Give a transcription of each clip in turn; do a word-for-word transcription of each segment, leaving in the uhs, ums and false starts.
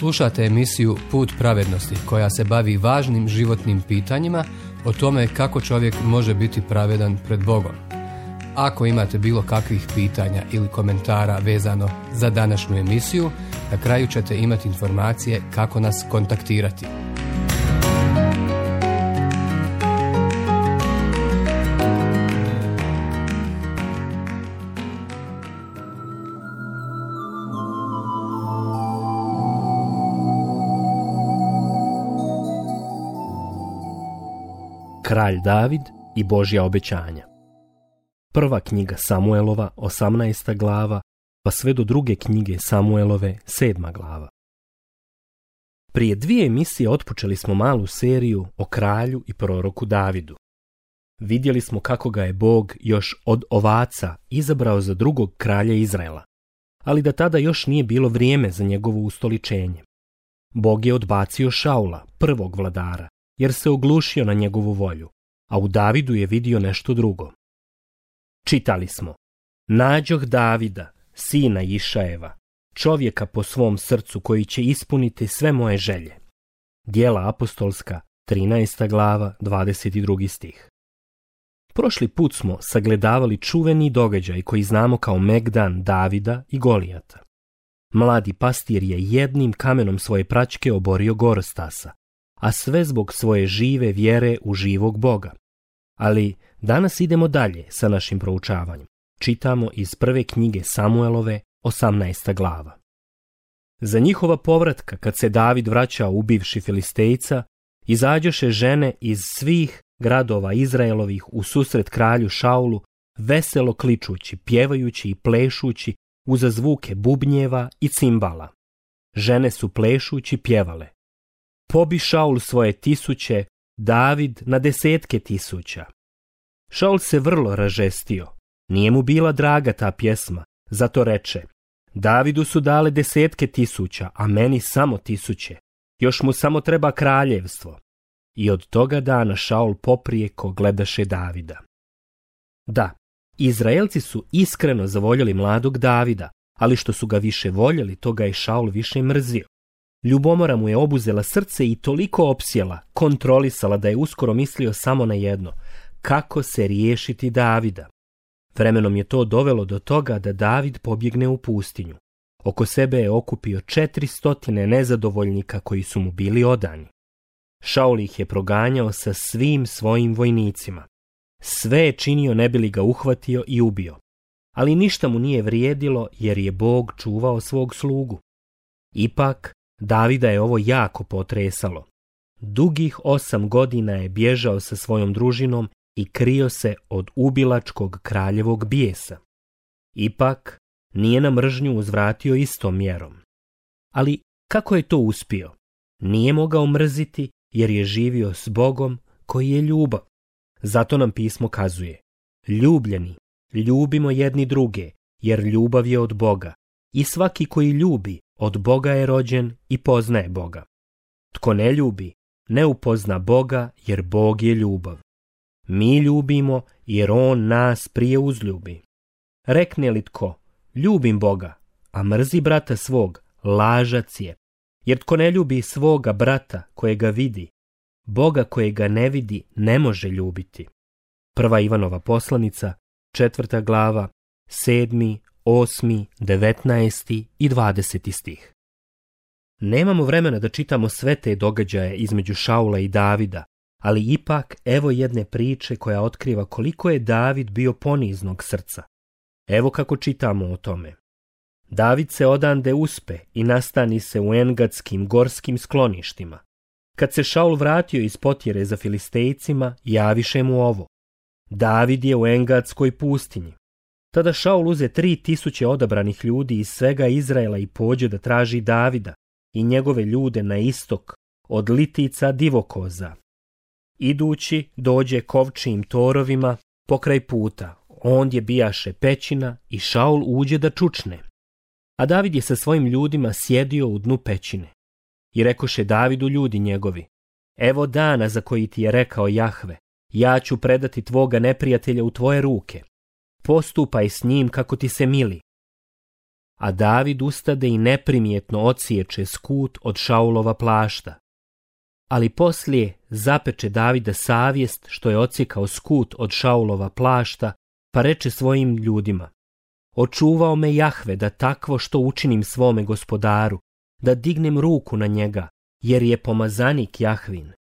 Slušate emisiju Put pravednosti koja se bavi važnim životnim pitanjima o tome kako čovjek može biti pravedan pred Bogom. Ako imate bilo kakvih pitanja ili komentara vezano za današnju emisiju, na kraju ćete imati informacije kako nas kontaktirati. Kralj David i Božja obećanja. Prva knjiga Samuelova, osamnaesta glava, pa sve do druge knjige Samuelove, sedma glava. Prije dvije emisije otpočeli smo malu seriju o kralju i proroku Davidu. Vidjeli smo kako ga je Bog još od ovaca izabrao za drugog kralja Izraela, ali da tada još nije bilo vrijeme za njegovo ustoličenje. Bog je odbacio Šaula, prvog vladara, jer se oglušio na njegovu volju, a u Davidu je vidio nešto drugo. Čitali smo: nađoh Davida, sina Išajeva, čovjeka po svom srcu koji će ispuniti sve moje želje. Djela apostolska, trinaesta glava, dvadeset drugi stih. Prošli put smo sagledavali čuveni događaj koji znamo kao Megdan Davida i Golijata. Mladi pastir je jednim kamenom svoje praćke oborio Gorostasa, a sve zbog svoje žive vjere u živog Boga. Ali danas idemo dalje sa našim proučavanjem. Čitamo iz prve knjige Samuelove, osamnaesta glava. Za njihova povratka, kad se David vraćao ubivši Filistejca, izađoše žene iz svih gradova Izraelovih u susret kralju Šaulu, veselo kličući, pjevajući i plešući uza zvuke bubnjeva i cimbala. Žene su plešući pjevale: pobi Šaul svoje tisuće, David na desetke tisuća. Šaul se vrlo ražestio. Nije mu bila draga ta pjesma, zato reče: Davidu su dale desetke tisuća, a meni samo tisuće. Još mu samo treba kraljevstvo. I od toga dana Šaul poprijeko gledaše Davida. Da, Izraelci su iskreno zavoljeli mladog Davida, ali što su ga više voljeli, to ga je Šaul više mrzio. Ljubomora mu je obuzela srce i toliko opsjela, kontrolisala da je uskoro mislio samo na jedno: kako se riješiti Davida. Vremenom je to dovelo do toga da David pobjegne u pustinju. Oko sebe je okupio četiristotine nezadovoljnika koji su mu bili odani. Šaul ih je proganjao sa svim svojim vojnicima. Sve je činio ne bi li ga uhvatio i ubio. Ali ništa mu nije vrijedilo jer je Bog čuvao svog slugu. Ipak, Davida je ovo jako potresalo. Dugih osam godina je bježao sa svojom družinom i krio se od ubilačkog kraljevog bijesa. Ipak, nije na mržnju uzvratio istom mjerom. Ali kako je to uspio? Nije mogao mrziti jer je živio s Bogom koji je ljubav. Zato nam pismo kazuje: ljubljeni, ljubimo jedni druge, jer ljubav je od Boga. I svaki koji ljubi, od Boga je rođen i poznaje Boga. Tko ne ljubi, ne upozna Boga, jer Bog je ljubav. Mi ljubimo, jer On nas prije uzljubi. Rekne li tko: ljubim Boga, a mrzi brata svog, lažac je. Jer tko ne ljubi svoga brata kojega vidi, Boga kojega ne vidi ne može ljubiti. Prva Ivanova poslanica, četvrta glava, sedmi, osmi, devetnaesti i dvadeseti stih. Nemamo vremena da čitamo sve te događaje između Šaula i Davida, ali ipak evo jedne priče koja otkriva koliko je David bio poniznog srca. Evo kako čitamo o tome. David se odande uspe i nastani se u engadskim gorskim skloništima. Kad se Šaul vratio iz potjere za Filistejcima, javiše mu ovo: David je u engadskoj pustinji. Tada Šaul uze tri tisuće odabranih ljudi iz svega Izraela i pođe da traži Davida i njegove ljude na istok od litica divokoza. Idući dođe kovčijim torovima pokraj puta, ondje bijaše pećina i Šaul uđe da čučne. A David je sa svojim ljudima sjedio u dnu pećine. I rekoše Davidu ljudi njegovi: evo dana za koji ti je rekao Jahve, ja ću predati tvoga neprijatelja u tvoje ruke. Postupaj s njim kako ti se mili. a David ustade i neprimjetno odsječe skut od Šaulova plašta. Ali poslije zapeče Davida savjest što je odsjekao skut od Šaulova plašta, pa reče svojim ljudima: očuvao me Jahve da takvo što učinim svome gospodaru, da dignem ruku na njega, jer je pomazanik Jahvin.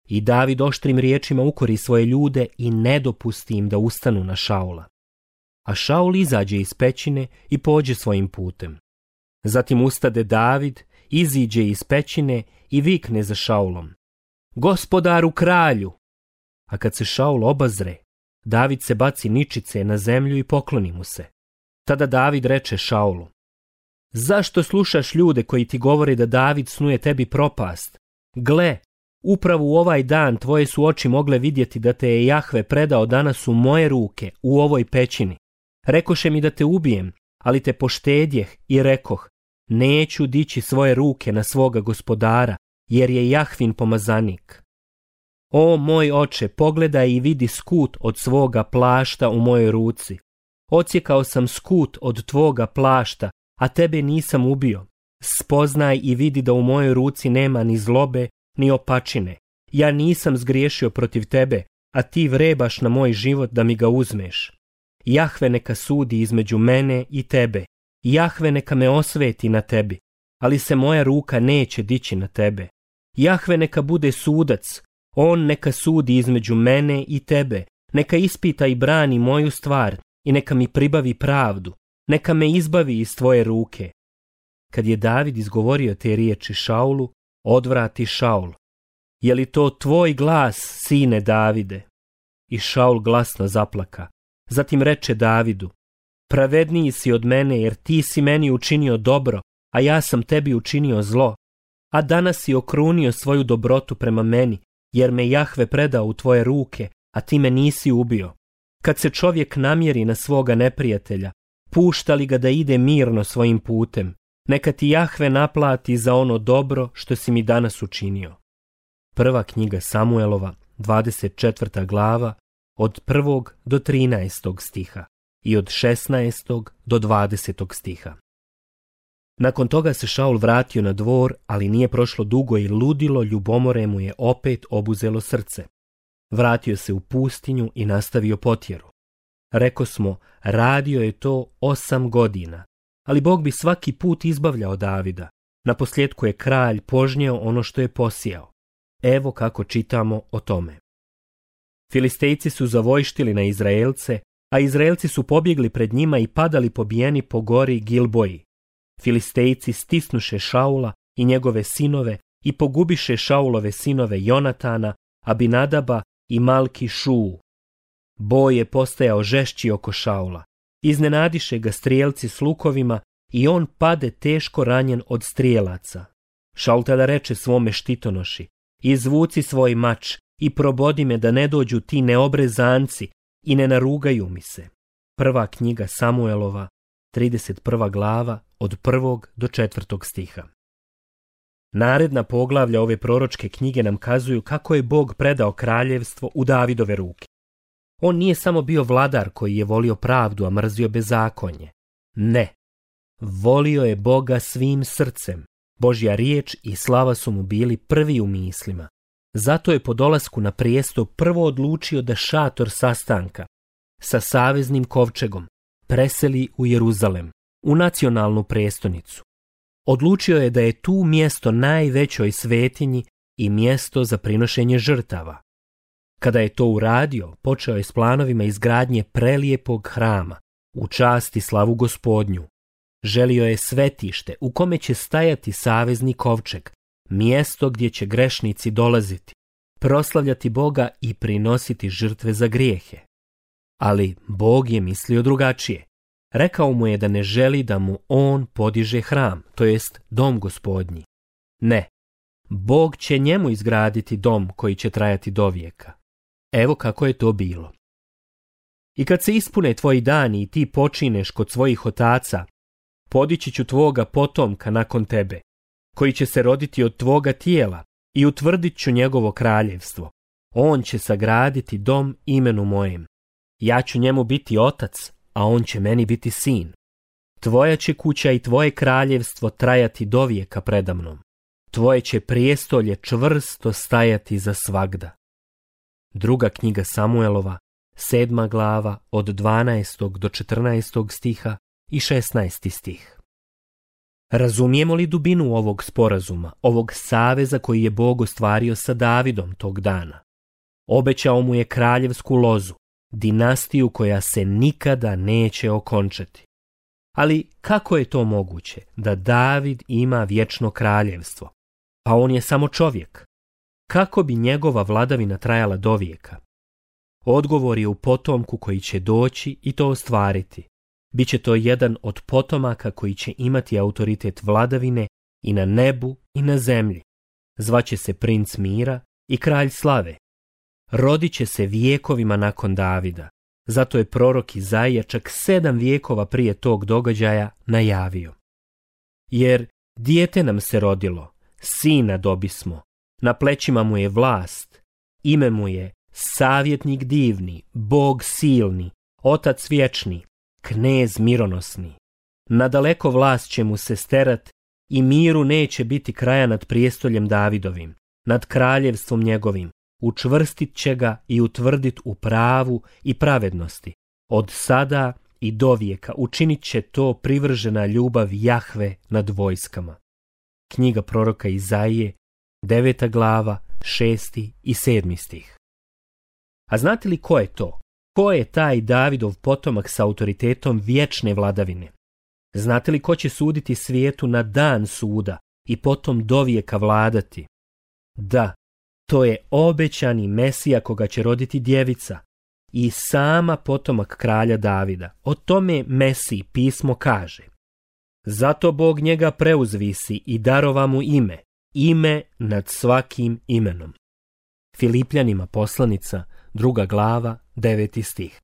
I David oštrim riječima ukori svoje ljude i ne dopusti im da ustanu na Šaula. A Šaul izađe iz pećine i pođe svojim putem. Zatim ustade David, iziđe iz pećine i vikne za Šaulom: gospodaru kralju! A kad se Šaul obazre, David se baci ničice na zemlju i pokloni mu se. Tada David reče Šaulu: zašto slušaš ljude koji ti govore da David snuje tebi propast? Gle, upravo u ovaj dan tvoje su oči mogle vidjeti da te je Jahve predao danas u moje ruke u ovoj pećini. Rekoše mi da te ubijem, ali te poštedjeh i rekoh: neću dići svoje ruke na svoga gospodara, jer je Jahvin pomazanik. O moj oče, pogledaj i vidi skut od svoga plašta u mojoj ruci. Odsjekao sam skut od tvoga plašta, a tebe nisam ubio. Spoznaj i vidi da u mojoj ruci nema ni zlobe, ni opačine. Ja nisam zgriješio protiv tebe, a ti vrebaš na moj život da mi ga uzmeš. Jahve neka sudi između mene i tebe. Jahve neka me osveti na tebi, ali se moja ruka neće dići na tebe. Jahve neka bude sudac, on neka sudi između mene i tebe, neka ispita i brani moju stvar i neka mi pribavi pravdu, neka me izbavi iz tvoje ruke. Kad je David izgovorio te riječi Šaulu, odvrati Šaul: je li to tvoj glas, sine Davide? I Šaul glasno zaplaka. Zatim reče Davidu: pravedniji si od mene, jer ti si meni učinio dobro, a ja sam tebi učinio zlo. A danas si okrunio svoju dobrotu prema meni, jer me Jahve predao u tvoje ruke, a ti me nisi ubio. Kad se čovjek namjeri na svoga neprijatelja, pušta li ga da ide mirno svojim putem? Neka ti Jahve naplati za ono dobro što si mi danas učinio. Prva knjiga Samuelova, dvadeset četvrta glava, od prvog do trinaestog stiha i od šesnaestog do dvadesetog stiha. Nakon toga se Šaul vratio na dvor, ali nije prošlo dugo i ludilo ljubomore mu je opet obuzelo srce. Vratio se u pustinju i nastavio potjeru. Rekosmo, radio je to osam godina, ali Bog bi svaki put izbavljao Davida. Naposljetku je kralj požnjeo ono što je posijao. Evo kako čitamo o tome. Filistejci su zavojštili na Izraelce, a Izraelci su pobjegli pred njima i padali pobijeni po gori Gilboji. Filistejci stisnuše Šaula i njegove sinove i pogubiše Šaulove sinove Jonatana, Abinadaba i Malki Šuu. Boj je postajao žešći oko Šaula. Iznenadiše ga strijelci s lukovima i on pade teško ranjen od strijelaca. Šaul tada reče svome štitonoši: izvuci svoj mač i probodi me da ne dođu ti neobrezanci i ne narugaju mi se. Prva knjiga Samuelova, trideset prva glava, od prvog do četvrtog stiha. Naredna poglavlja ove proročke knjige nam kazuju kako je Bog predao kraljevstvo u Davidove ruke. On nije samo bio vladar koji je volio pravdu, a mrzio bezakonje. Ne. Volio je Boga svim srcem. Božja riječ i slava su mu bili prvi u mislima. Zato je po dolasku na prijesto prvo odlučio da šator sastanka sa saveznim kovčegom preseli u Jeruzalem, u nacionalnu prestonicu. Odlučio je da je tu mjesto najvećoj svetinji i mjesto za prinošenje žrtava. Kada je to uradio, počeo je s planovima izgradnje prelijepog hrama, u čast i slavu Gospodnju. Želio je svetište u kome će stajati savezni kovčeg, mjesto gdje će grešnici dolaziti, proslavljati Boga i prinositi žrtve za grijehe. Ali Bog je mislio drugačije. Rekao mu je da ne želi da mu on podiže hram, to jest dom Gospodnji. Ne, Bog će njemu izgraditi dom koji će trajati do vijeka. Evo kako je to bilo. I kad se ispune tvoji dani i ti počineš kod svojih otaca, podići ću tvoga potomka nakon tebe, koji će se roditi od tvoga tijela, i utvrdit ću njegovo kraljevstvo. On će sagraditi dom imenu mojem. Ja ću njemu biti otac, a on će meni biti sin. Tvoja će kuća i tvoje kraljevstvo trajati dovijeka predamnom. Tvoje će prijestolje čvrsto stajati za svagda. Druga knjiga Samuelova, sedma glava, od dvanaestog do četrnaestog stiha i šesnaesti stih. Razumijemo li dubinu ovog sporazuma, ovog saveza koji je Bog ostvario sa Davidom tog dana? Obećao mu je kraljevsku lozu, dinastiju koja se nikada neće okončati. Ali kako je to moguće da David ima vječno kraljevstvo? Pa on je samo čovjek. Kako bi njegova vladavina trajala dovijeka? Odgovor je u potomku koji će doći i to ostvariti. Biće to jedan od potomaka koji će imati autoritet vladavine i na nebu i na zemlji. Zvaće se princ mira i kralj slave. Rodit će se vijekovima nakon Davida. Zato je prorok Izaija čak sedam vijekova prije tog događaja najavio. Jer dijete nam se rodilo, sina dobismo, na plećima mu je vlast, ime mu je savjetnik divni, Bog silni, otac vječni, knez mironosni. Nadaleko vlast će mu se sterat i miru neće biti kraja nad prijestoljem Davidovim, nad kraljevstvom njegovim. Učvrstit će ga i utvrdit u pravu i pravednosti. Od sada i dovijeka učinit će to privržena ljubav Jahve nad vojskama. Knjiga proroka Izaije, deveta glava, šesti i sedmi stih. A znate li ko je to? Ko je taj Davidov potomak sa autoritetom vječne vladavine? Znate li ko će suditi svijetu na dan suda i potom dovijeka vladati? Da, to je obećani Mesija koga će roditi djevica i sama potomak kralja Davida. O tome Mesiji pismo kaže: zato Bog njega preuzvisi i darova mu ime, ime nad svakim imenom. Filipljanima poslanica, druga glava, deveti stih.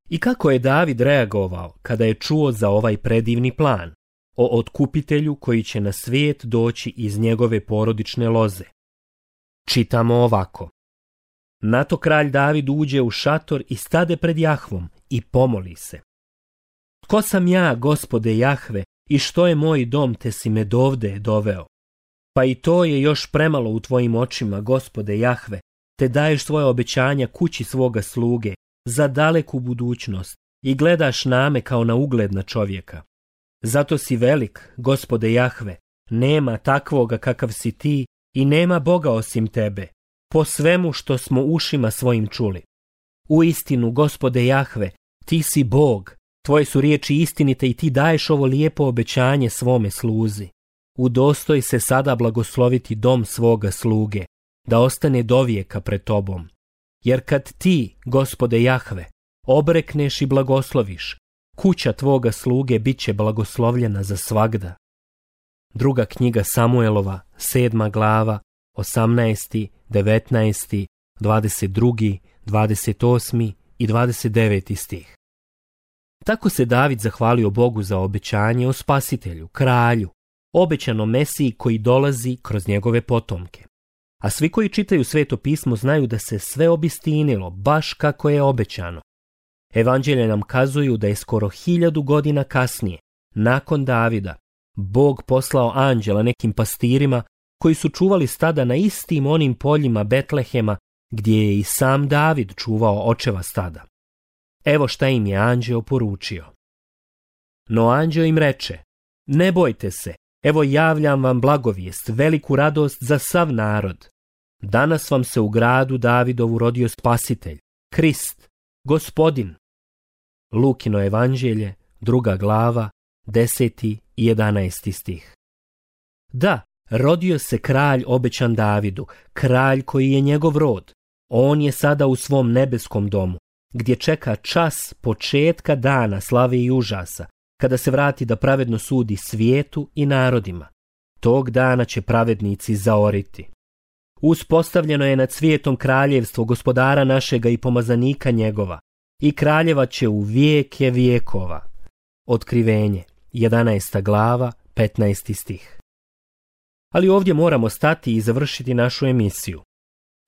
I kako je David reagovao kada je čuo za ovaj predivni plan o otkupitelju koji će na svijet doći iz njegove porodične loze? Čitamo ovako. Na to kralj David uđe u šator i stade pred Jahvom i pomoli se. Tko sam ja, Gospode Jahve, i što je moj dom, te si me dovde doveo? Pa i to je još premalo u tvojim očima, Gospode Jahve, te daješ svoje obećanja kući svoga sluge za daleku budućnost i gledaš name kao na ugledna čovjeka. Zato si velik, Gospode Jahve, nema takvoga kakav si ti i nema Boga osim tebe, po svemu što smo ušima svojim čuli. Uistinu, Gospode Jahve, ti si Bog, tvoje su riječi istinite i ti daješ ovo lijepo obećanje svome sluzi. Udostoj se sada blagosloviti dom svoga sluge, da ostane dovijeka pred tobom. Jer kad ti, Gospode Jahve, obrekneš i blagosloviš, kuća tvoga sluge bit će blagoslovljena za svagda. Druga knjiga Samuelova, sedma glava, osamnaesti, devetnaesti, dvadeset drugi, dvadeset osmi i dvadeset deveti stih. Tako se David zahvalio Bogu za obećanje o spasitelju, kralju, obećanom Mesiji koji dolazi kroz njegove potomke. A svi koji čitaju Sveto pismo znaju da se sve obistinilo baš kako je obećano. Evanđelje nam kazuju da je skoro hiljadu godina kasnije, nakon Davida, Bog poslao anđela nekim pastirima koji su čuvali stada na istim onim poljima Betlehema gdje je i sam David čuvao očeva stada. Evo šta im je anđeo poručio. No anđeo im reče: ne bojte se, evo javljam vam blagovijest, veliku radost za sav narod. Danas vam se u gradu Davidovu rodio spasitelj, Krist, Gospodin. Lukino evanđelje, druga glava, deseti i jedanaesti stih. Da, rodio se kralj obećan Davidu, kralj koji je njegov rod. On je sada u svom nebeskom domu, gdje čeka čas početka dana slave i užasa, kada se vrati da pravedno sudi svijetu i narodima. Tog dana će pravednici zaoriti. Uspostavljeno je nad svijetom kraljevstvo gospodara našega i pomazanika njegova, i kraljeva će u vijeke vijekova. Otkrivenje, jedanaesta glava, petnaesti stih. Ali ovdje moramo stati i završiti našu emisiju.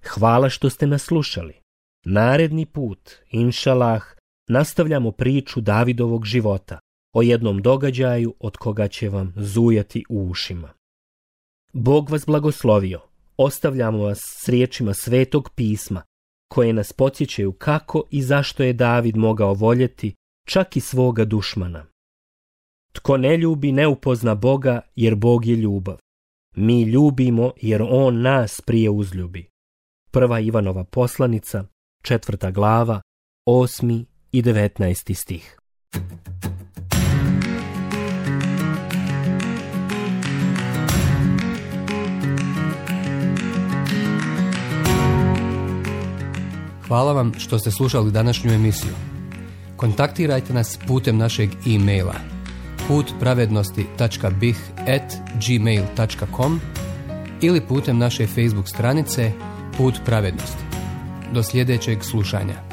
Hvala što ste nas slušali. Naredni put, inšalah, nastavljamo priču Davidovog života, o jednom događaju od koga će vam zujati u ušima. Bog vas blagoslovio. Ostavljamo vas s riječima Svetog pisma, koje nas podsjećaju kako i zašto je David mogao voljeti čak i svoga dušmana. Tko ne ljubi, ne upozna Boga, jer Bog je ljubav. Mi ljubimo, jer On nas prije uzljubi. Prva Ivanova poslanica, četvrta glava, osmi i devetnaesti stih. Hvala vam što ste slušali današnju emisiju. Kontaktirajte nas putem našeg e-maila put pravednosti tačka b i h at gmail tačka com ili putem naše Facebook stranice Put pravednosti. Do sljedećeg slušanja.